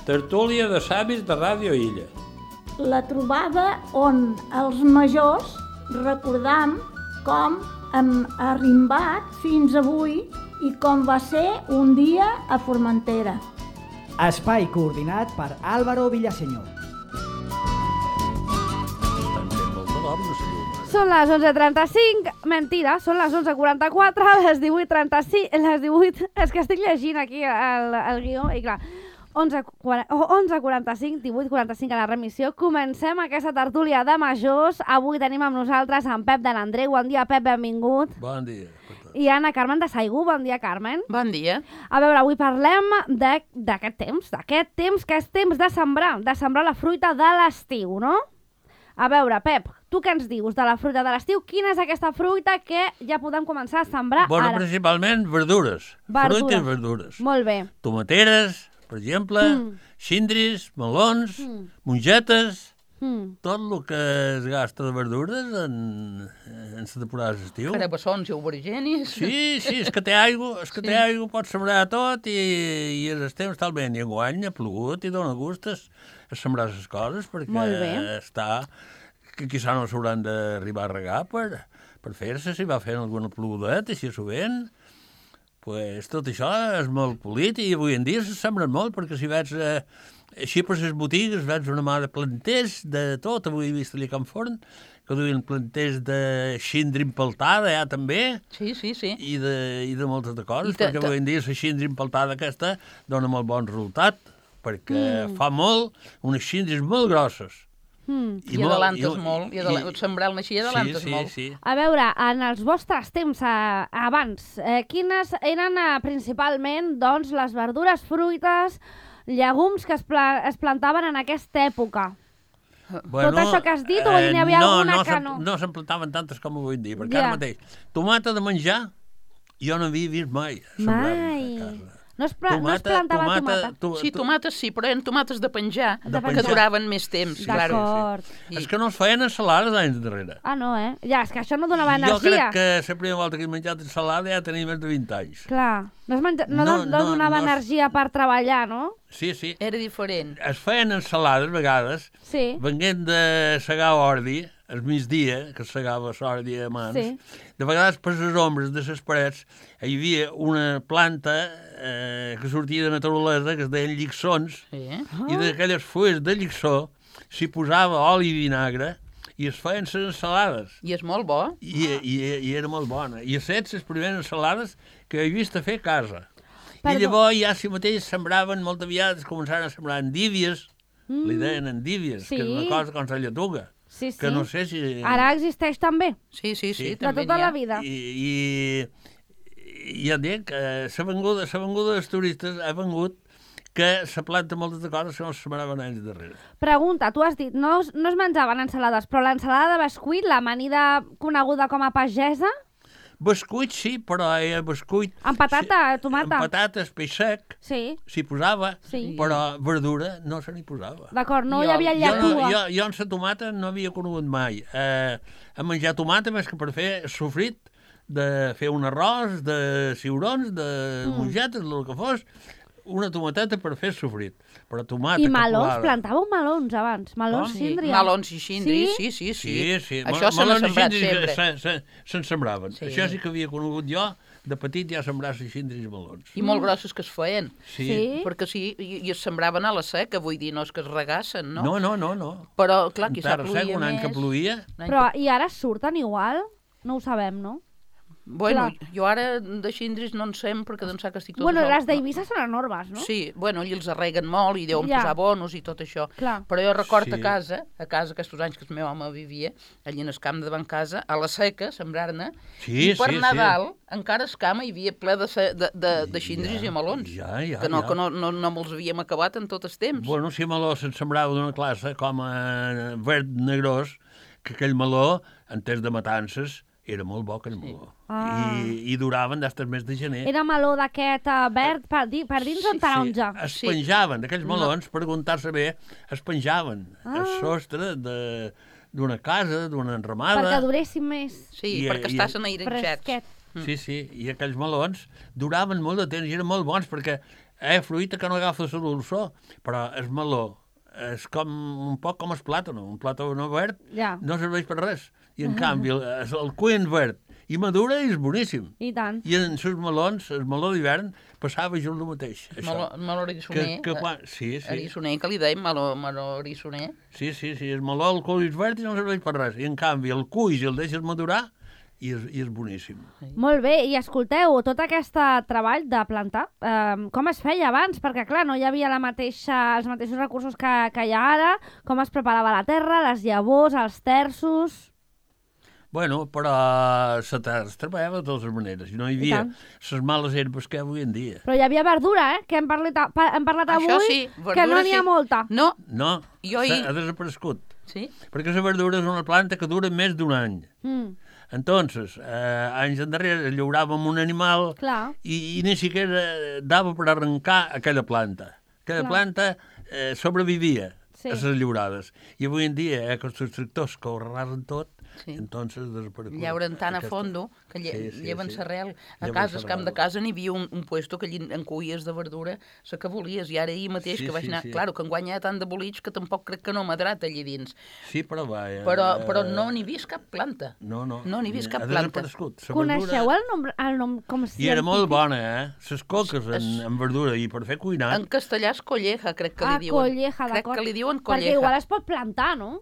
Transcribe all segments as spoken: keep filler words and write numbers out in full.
Tertúlia de savis de Ràdio Illa. La trobada on els majors recordam com hem arrimbat fins avui i com va ser un dia a Formentera. Espai coordinat per Álvaro Villaseñor. Són les onze trenta-cinc, mentida, són les onze quaranta-quatre, les divuit trenta-cinc, les divuit... És que estic llegint aquí el, el guió i clar, onze quaranta-cinc, divuit quaranta-cinc a la remissió. Comencem aquesta tertúlia de majors. Avui tenim amb nosaltres en Pep de l'Andreu. Bon dia, Pep, benvingut. Bon dia. I Anna Carmen de Saigú. Bon dia, Carmen. Bon dia. A veure, avui parlem d'aquest temps, d'aquest temps que és temps de sembrar, de sembrar la fruita de l'estiu, no? A veure, Pep, tu què ens dius de la fruita de l'estiu? Quina és aquesta fruita que ja podem començar a sembrar bueno, ara? Principalment verdures. Verdures. Fruita i verdures. Molt bé. Tomateres, per exemple, mm. xindris, melons, mm. mongetes, mm. tot el que es gasta de verdures en, en la temporada d'estiu. Carabassons i aubergenis. Sí, sí, és que té aigua, és que sí. té aigua, pots sembrar tot i, i el temps està bé. I enguany ha plogut i dona gustes a sembrar les coses perquè està... que quizà no s'hauran d'arribar a regar per, per fer-se, si va fent alguna plogudeta, així sovint. Pues, tot això és molt polit i avui en dia se sembren molt, perquè si veig eh, així per les botigues, veig una mà de planters de tot. Avui he vist allà a Can Forn, que duien planters de xindri empeltada, ja també. Sí, sí, sí. I de, i de moltes de coses, perquè avui en dia la xindri empeltada aquesta dona molt bon resultat, perquè mm. fa molt, unes xindris molt grosses. Mm. I, I adelantes molt, i, i sembrar-ne així adelantes sí, sí, molt. Sí. A veure, en els vostres temps eh, abans, eh, quines eren eh, principalment doncs, les verdures, fruites, llegums que es, pla es plantaven en aquesta època? Bueno, tot això que has dit, o hi havia no, alguna no que no? No se'n plantaven tantes com avui en dia, perquè ja. ara mateix, tomata de menjar, jo no havia vist mai. Mai. A casa. No es, tomata, no es plantava tomata? tomata. Tu, sí, tomates sí, però eren tomates de penjar, de que penjar. duraven més temps. D'acord. Sí, sí. És que no es feien ensalades d'anys darrere. Ah, no, eh? Ja, és que això no donava jo energia. Jo crec que la primera volta que he menjat ensalada ja tenia més de vint anys. Clar, no, es menja... no, no, no, no donava no, energia per treballar, no? Sí, sí. Era diferent. Es feien ensalades, a vegades, sí. venint de segar ordi, al migdia, que segava l'ordi a mans, sí. de vegades per les ombres de les parets hi havia una planta eh, que sortia de naturalesa, que es deien llixons, sí. oh. i d'aquelles fulles de llixó s'hi posava oli i vinagre i es feien les ensalades. I és molt bo. I, i, i era molt bona. I a set les primeres ensalades que he vist a fer a casa. Perdó. I llavors ja si mateix sembraven, molt aviat es començaven a sembrar endívies, mm. li deien endívies, sí. que és una cosa com la lletuga. Sí, sí. Que no sé si... Ara existeix també. Sí, sí, sí. sí. De tota la vida. I, i, i ja dic, eh, la venguda, la venguda dels turistes ha vengut que se planta moltes de coses que no se sembraven anys darrere. Pregunta, tu has dit, no, no es menjaven ensalades, però l'ensalada de bescuit, l'amanida coneguda com a pagesa... Bescuit sí, però era bescuit... Amb patata, sí, tomata. Amb patates, peix sec, sí. s'hi posava, sí. però verdura no se n'hi posava. D'acord, no jo, hi havia lletua. Jo, jo, jo en la tomata no havia conegut mai. Eh, a menjar tomata més que per fer sofrit, de fer un arròs, de ciurons, de mm. mongetes, el que fos, una tomateta per fer sofrit. Però tomata I melons, capulada. plantàveu melons abans, melons oh, síndria. Melons i xindris, sí, sí, sí. sí, sí. Això se n'ha sembrat sempre. Se'n se, se sembraven. Sí. Això sí que havia conegut jo, de petit ja sembrar xindris i melons. I molt grossos que es feien. Sí. sí. Perquè sí, i, i es sembraven a la seca, vull dir, no és que es regassen, no? No, no, no. no. Però, clar, quizà ploïa ploïa més. Un any que ploïa. Però, i ara surten igual? No ho sabem, no? Bueno, clar. Jo ara de xindris no en sem perquè d'ençà que estic tot Bueno, sol. les d'Eivissa són enormes, no? Sí, bueno, i els arreguen molt i deuen ja. posar bonos i tot això. Clar. Però jo record sí. a casa, a casa aquests anys que el meu home vivia, allà en el camp de davant casa, a la seca, sembrar-ne, sí, i per sí, Nadal sí. encara es cama hi havia ple de, de, de, de xindris ja, i melons, ja, ja, que, no, ja. que no, no, no me'ls havíem acabat en tot el temps. Bueno, si meló se'n sembrava d'una classe com a verd negrós, que aquell meló, en temps de matances, era molt bo aquell meló. Sí. Ah. I, I duraven des del mes de gener. Era meló d'aquest uh, verd per, di per dins sí, o taronja? Sí, es penjaven, d'aquells melons, no. per contar-se bé, es penjaven ah. el sostre d'una casa, d'una enramada. Perquè duressin més. Sí, I, perquè i, estassin airetjats. Fresquet. Sí, sí, i aquells melons duraven molt de temps i eren molt bons perquè Eh, fruita que no agafa la dolçor, però el meló és com un poc com el plàtano. Un plàtano verd Ja. no serveix per res. I, en canvi, el, el cuint verd i madura és boníssim. I tant. I en els melons, el meló d'hivern, passava jo el mateix. Això. Meló, meló arissoner. Que, que quan... Sí, sí. Arissoner, que li deim, meló, meló arissoner. Sí, sí, sí. El meló, el cull és verd i no serveix per res. I, en canvi, el cull, si el deixes madurar, i és, i és boníssim. Molt bé, i escolteu, tot aquest treball de plantar, eh, com es feia abans? Perquè, clar, no hi havia la mateixa, els mateixos recursos que, que hi ha ara, com es preparava la terra, les llavors, els terços... Bueno, però la terra es treballava de totes maneres, i no hi havia les males herbes que avui en dia. Però hi havia verdura, eh?, que hem parlat, hem parlat avui, Això sí, verdura que no n'hi ha sí. molta. No, No, Jo hi- ha desaparegut. sí. Perquè la verdura és una planta que dura més d'un any. Mm, Entonces, eh, anys endarrere llauràvem un animal clar. i, i ni siquiera dava per arrencar aquella planta. Aquella Clar. planta eh, sobrevivia Sí. a les llaurades. I avui en dia, eh, que els tractors que ho arrasen tot, Sí. entonces desaparegut. Llauren tan a aquesta- fondo que lle Sí, sí, lleven sí. l'arrel. A Lleven casa, al camp de l'arrel. casa, n'hi havia un, un puesto que allí en cuies de verdura la que volies. I ara ahir mateix Sí, que vaig sí, anar... sí. Claro, que enguany hi ha tant de bolits que tampoc crec que no m'ha drat allí dins. Sí, però va... Eh, Però, però no n'hi vist cap planta. No, no. No n'hi vist cap Ha planta. desaparegut. La Coneixeu verdura- el nom, el nom com I era molt científic? bona, eh? Les coques en, Es- en verdura i per fer cuinat. En castellà és colleja, crec que Ah, li diuen. colleja, crec d'acord. que li diuen Perquè colleja. igual es pot plantar, no?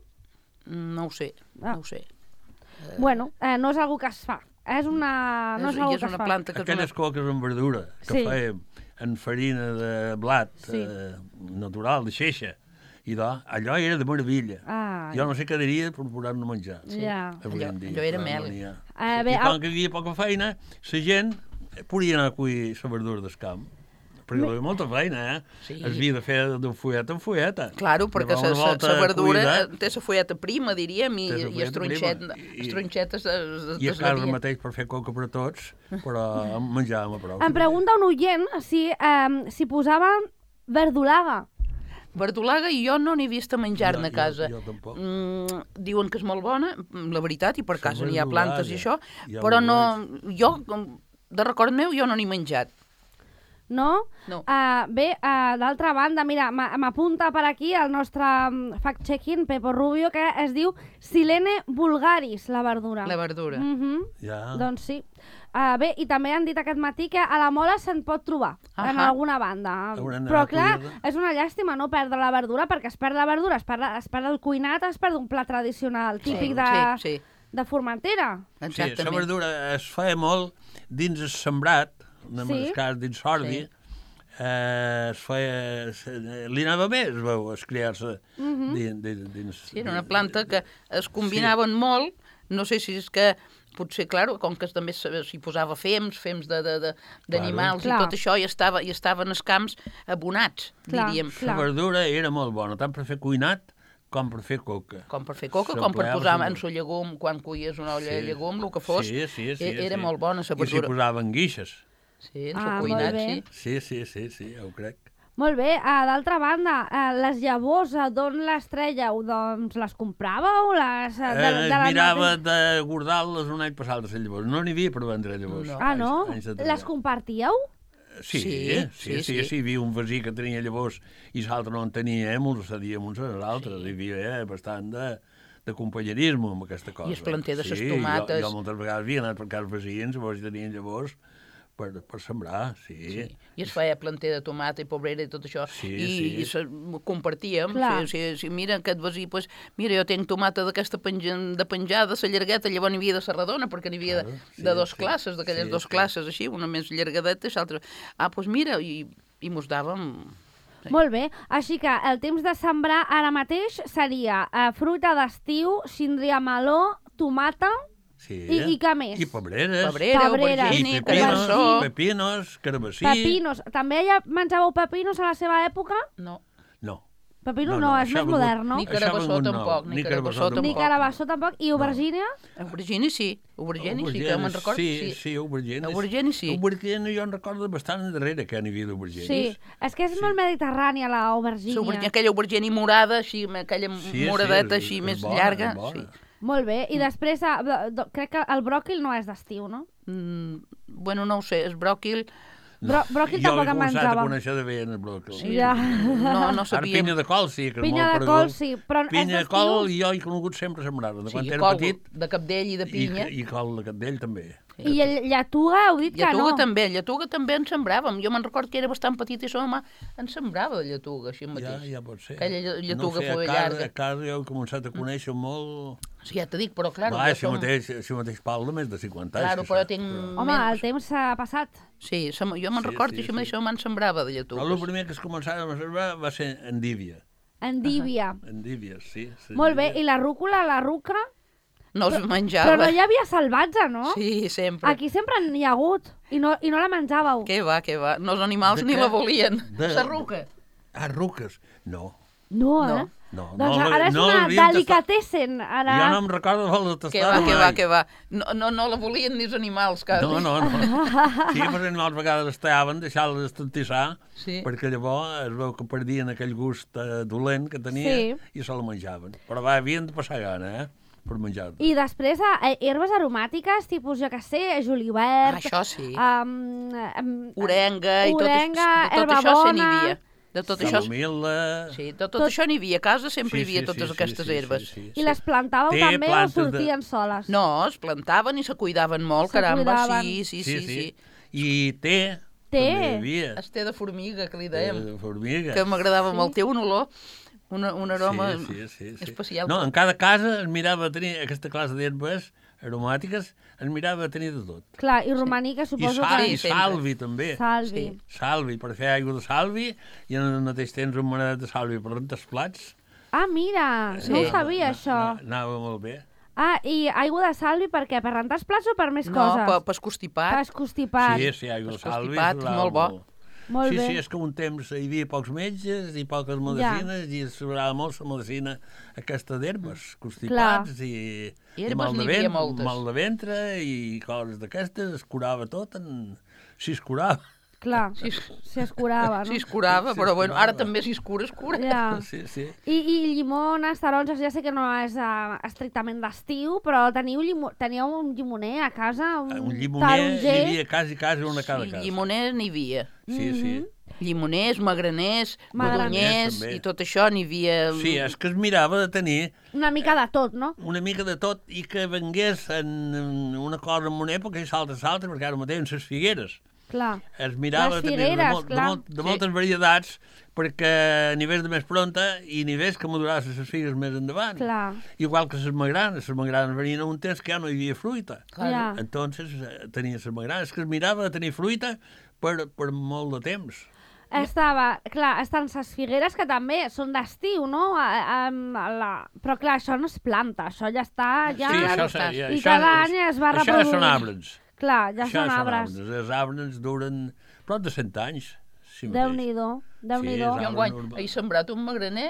No ho sé, Ah. no ho sé. Bueno, eh, no és algo que es fa. És una... No és, és, algo i és que es una fa. planta que és una... Aquelles coques en verdura que Sí. fèiem en farina de blat Sí. eh, natural, de xeixa. I de, allò era de meravella. Ah, Jo no sé què diria per posar-ne a menjar. Ja. Avui Allò- en dia, allò era però mel. no n'hi ha. Eh, bé, I el- com que hi havia poca feina, la gent podia anar a cuir la verdura del camp. Perquè hi havia molta feina, eh? Sí. Es havia de fer de fulleta en fulleta. Claro, perquè Llavors, una volta la verdura cuida, té la folleta prima, diríem, i, Té la i folleta estronxet, prima. I- estronxetes es, I a es casa devien. mateix per fer coca per a tots, però menjàvem a prou. Em pregunta un oient si, eh, si posaven verdolaga. Verdolaga i jo no n'he vist a menjar-ne a Jo- casa. jo- jo tampoc. Mm, diuen que és molt bona, la veritat, i per La casa n'hi ha plantes i això, verdolaga, ja però ho no... Jo, com- de record meu, jo no n'he menjat. No? No. Uh, bé, uh, d'altra banda, mira, m'a- m'apunta per aquí el nostre mm, fact-checking, Pepo Rubio, que es diu Silene vulgaris, la verdura. La verdura. Mhm. Ja. Doncs sí. Uh, bé, i també han dit aquest matí que a la Mola se'n pot trobar, en Ahà. alguna banda. Haurem Però d'anar a clar, collir-la. és una llàstima no perdre la verdura, perquè es perd la verdura, es perd, es perd el cuinat, es perd un plat tradicional típic Sí, de, sí, sí. de Formentera. Sí, la Exactament. verdura es feia molt dins el sembrat, en Sí. el cas dins l'ordi, Sí. eh, es feia... es- Li anava bé, es veu, es criar-se dins, dins, dins... Sí, era una planta que es combinaven sí. molt, no sé si és que potser, claro, com que també s'hi posava fems, fems d'animals de, de, d'animals Clar. i tot això, i, estava, i estaven els camps abonats, Clar. diríem. La verdura era molt bona, tant per fer cuinat com per fer coca. Com per fer coca, com per S'empleava posar molt. en su llegum, quan cuies una olla Sí. de llegum, el que fos, Sí, sí, sí, e- era sí. molt bona la I s'hi verdura. posaven guixes. Sí, en Ah, su molt cuinat, bé. sí. Sí, sí, sí, sí, ja ho crec. Molt bé, uh, d'altra banda, uh, les llavors, uh, d'on les trèieu? Doncs les compràveu? Les, uh, de, Eh, de es les mirava mateixes- de guardar-les un any passat de llavors. No n'hi havia per vendre llavors. No. Ah, no? Anys- anys enrere. Les compartíeu? Sí, Sí, sí, sí, sí, sí. sí, hi havia un vecí que tenia llavors i l'altre no en tenia, eh, ens cedíem uns als altres, hi havia eh, bastant de, de companyerisme amb aquesta cosa. I el planter de ses sí, tomates. Jo, jo moltes vegades havia anat per casa veïns, llavors tenien llavors per, per sembrar, sí. Sí. I es feia planter de tomata i pobrera i tot això. Sí, I, sí. i se, compartíem. Clar. Sí, sí, sí, mira, aquest veí, pues, mira, jo tinc tomata d'aquesta penja, de penjada, la llargueta, llavors n'hi havia de la redona, perquè n'hi havia Claro, de, sí, de dos sí. classes, d'aquelles Sí, dos sí. classes, així, una més llargadeta i l'altra... Ah, doncs pues mira, i, i mos dàvem... Sí. Molt bé, així que el temps de sembrar ara mateix seria uh, fruita d'estiu, síndria meló, tomata Sí. i, i què més? I pobreres. Pebrera, Pebrera. I aubergine, pepinos, carabassó... pepinos, carabassí. Pepinos. També ja menjàveu pepinos a la seva època? No, No. Pepino no, és això més ha vingut- modern, no? Ni això ha carabassó vingut nou, tampoc, ni carabassó Ni tampoc. carabassó tampoc. I aubergínia? aubergine sí, aubergine sí, que me'n recordo. Sí, sí, aubergines. Aubergine sí. Aubergine jo en recordo bastant darrere que n'hi havia d'aubergines. Sí. És que és molt mediterrània, la aubergínia. Aubergine, aquella aubergine morada, així, aquella Sí, moradeta sí, així, és més bona, llarga. és bona. Sí. Molt bé. I després, eh, de- de- crec que el bròquil no és d'estiu, no? Mm, bueno, no ho sé, el bròquil... Brò- bròquil tampoc en Jo he començat a menjàvem. conèixer de bé en el bròquil. Sí. Ja. No, no Ara sabíem. pinya de col sí, que és Pinya molt de conegut. col, sí, però és Pinya de d'estiu. col jo he conegut sempre sembrar, de quan Sí, era col petit. de capdell i de pinya. I, i col de capdell també. I el lletuga heu dit que Lletuga no. també, lletuga també en sembràvem. Jo me'n record que era bastant petit i sa mamà en sembrava de lletuga, així Ja, mateix. ja pot ser. Aquella lle- lletuga no sé, fue a casa, llarga. A casa jo he començat a conèixer molt... Sí, ja t'ho dic, però clar... Va, jo si som- mateix, si mateix Pau de més de cinquanta anys. Claro, que però sap, tinc... Home, menys. el temps s'ha passat. Sí, sa- jo me'n Sí, record sí, que això sí. mateix sa mamà en sembrava de Però el lletugues. primer que es començava a sembrar va ser endívia. Endívia. Endívia, sí. sí Molt bé, endívia. i la rúcula, la ruca... No es menjava. Però no hi havia salvatge, no? Sí, sempre. Aquí sempre n'hi ha hagut, i no, i no la menjàveu. Què va, què va. No, els animals De ni què? la volien. De- La ruca. Ah, ruques. No. No, eh? No, Doncs no, ara és no una l'havíem tastat. delicatessen. Ara... Jo no em recordo de tastar. Què va, què va, què va. No, no, no la volien ni els animals, quasi. No, no, no. Sí, però animals a vegades es tallaven, deixar-les estantissar, Sí. perquè llavors es veu que perdien aquell gust eh, dolent que tenia Sí. i se la menjaven. Però va, havien de passar gana, eh? Per menjar-la. I després, eh, herbes aromàtiques, tipus, jo què sé, julivert... Ah, això sí. Um, um, Orenga i tot, Orenga, de tot herba això se n'hi bona. havia. De tot això, Camomil·la... sí, de tot, Tot- això n'hi havia. A casa sempre Sí, hi havia sí, totes sí, aquestes sí, sí, herbes. sí, sí, I les plantàveu Té també o plantes de- sortien soles? No, es plantaven i se cuidaven molt, Se caramba. cuidaven. Sí, sí, sí, sí. I té, Té. també hi havia. Esté de formiga, que li Té dèiem. de formiga. Que m'agradava molt. Té un olor, una, un aroma sí, sí, sí, sí. especial. No, en cada casa es mirava a tenir aquesta classe d'herbes aromàtiques, es mirava a tenir de tot. Clar, i romanica I, suposo sal, que... i sempre. salvi, també. Salvi. Sí. Salvi, per fer aigua de salvi, i al mateix temps un manedat de salvi per rentar els plats. Ah, mira, Sí. no ho sabia, Na- això. na- Anava molt bé. Ah, i aigua de salvi per què? Per rentar els plats o per més No, coses? per, per constipat. Per escostipat. Sí, sí, aigua de Els salvi. constipats, sobrava molt bo. Molt sí, bé. sí, és que un temps hi havia pocs metges i poques medicines i es sobrava molt la medicina aquesta d'herbes, constipats i, I i herbes mal de, n'hi havia vent, moltes. mal de ventre i coses d'aquestes, es curava tot, en... si es curava. Clar, Sí. si es curava, no? Si es curava, Sí, però es bueno, curava. ara també si es cura, es cura. Ja. Sí, sí. I, i llimones, taronges, ja sé que no és uh, estrictament d'estiu, però teniu, llimo teníeu un llimoner a casa, un, Un llimoner, taronger... hi havia quasi, quasi una a cada Sí, casa. llimoners n'hi havia. Sí, sí. Llimoners, magraners, Magraners, madonyers, també. i tot això n'hi havia... Sí, és que es mirava de tenir Una mica de tot, no? una mica de tot i que vengués en en una cosa en una època i salta, salta, perquè ara mateix en les figueres. Clar. Es mirava Les també de, figueres, molt, de, clar. molt, de Sí. moltes varietats perquè n'hi ves de més pronta i n'hi ves que madurassin les figues més endavant. Clar. Igual que les magranes. Les magranes venien a un temps que ja no hi havia fruita. Clar. Ja. Entonces eh, tenia les magranes. És que es mirava de tenir fruita per, per molt de temps. Estava, clar, estan les figueres que també són d'estiu, no? A, a, a la... Però clar, això no es planta, això ja està... Ja... sí, ja això, no estàs. ja, I això, cada any es va això reproduint. són arbres. Clar, ja això són arbres. Els arbres duren prop de cent anys. Sí mateix. Déu-n'hi-do, Déu-n'hi-do. Sí, Jo és enguany arbre he sembrat un magraner,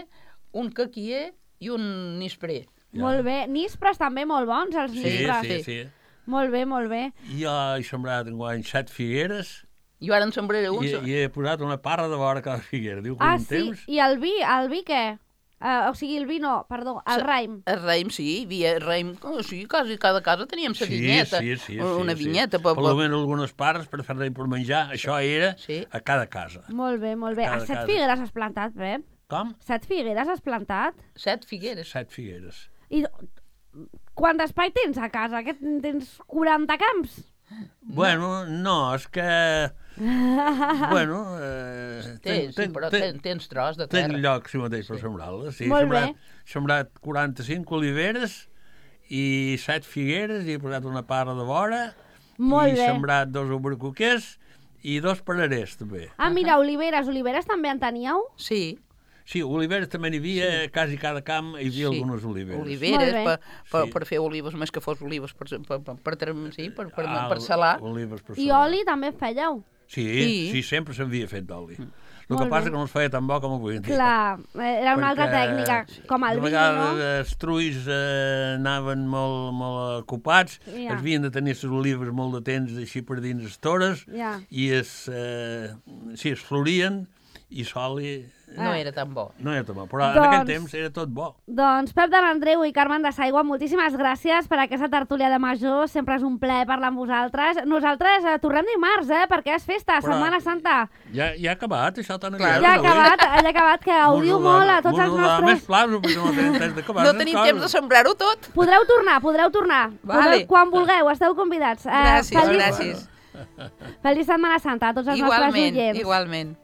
un caquier i un nisprer. Molt bé. Nispres també molt bons, els Sí, nispres. sí, sí. Molt bé, molt bé. Jo he sembrat enguany set figueres Jo ara en sembraré i, uns. i he posat una parra de vora a cada figuera. Diu que Ah, un sí, temps... i el vi, el vi què? Uh, o sigui, el vi no, perdó, el Sa- raïm. El raïm, sí, hi havia raïm, oh, sí, quasi cada casa teníem sa vinyeta, sí, sí, sí, una sí. vinyeta. Per, Per, per almenys algunes parts per fer raïm per menjar, això era Sí. a cada casa. Molt bé, molt bé. Cada A set casa. figueres has plantat, Pep? Com? Set figueres has plantat? Set figueres. Set figueres. I quant d'espai tens a casa? Que tens quaranta camps? Bueno, no, és que... bueno... Eh, Tens, sí, però ten, tens tros de Ten terra. lloc, si mateix, per sembrar-les. Sí, Molt sembrat, bé. sembrat quaranta-cinc oliveres i set figueres, i he posat una parra de vora, Molt i bé. sembrat dos albercoquers i dos pararers, també. Ah, mira, oliveres. Oliveres també en teníeu? Sí, Sí, oliveres també n'hi havia, sí. quasi cada camp hi havia sí. algunes oliveres. Oliveres, Molt bé. per, per, Sí. per fer olives, més que fos olives, per, per, per, per, per, sí, per, per, Ah, per salar. Olives per I salar. oli també fèieu? Sí, Sí. sí, sí sempre s'havia fet d'oli. El Molt que passa bé. que no es feia tan bo com avui en dia. Clar, eh, era una altra tècnica, com el de vi, vegades no? els truis eh, anaven molt, molt ocupats, Ja. es havien de tenir les olives molt de temps així per dins les tores, Ja. i es, eh, sí, es florien, i l'oli no era tan bo. No era tan bo, però en Doncs- aquell temps era tot bo. Doncs Pep de l'Andreu i Carmen de Saigua, moltíssimes gràcies per aquesta tertúlia de major. Sempre és un plaer parlar amb vosaltres. Nosaltres eh, tornem dimarts, eh, perquè és festa, Però- Setmana Santa. Ja, ja ha acabat, això tan Clar, Ja ha acabat, ja ha acabat, que gaudiu molt a tots els Més nostres... plaços, perquè no tenim temps d'acabar. No tenim temps de sembrar-ho tot. Podreu tornar, podreu tornar. Vale. Podreu, quan vulgueu, esteu convidats. Eh, Gràcies, feliç- gràcies. Feliç Setmana Santa a tots els nostres Igualment, oients. igualment.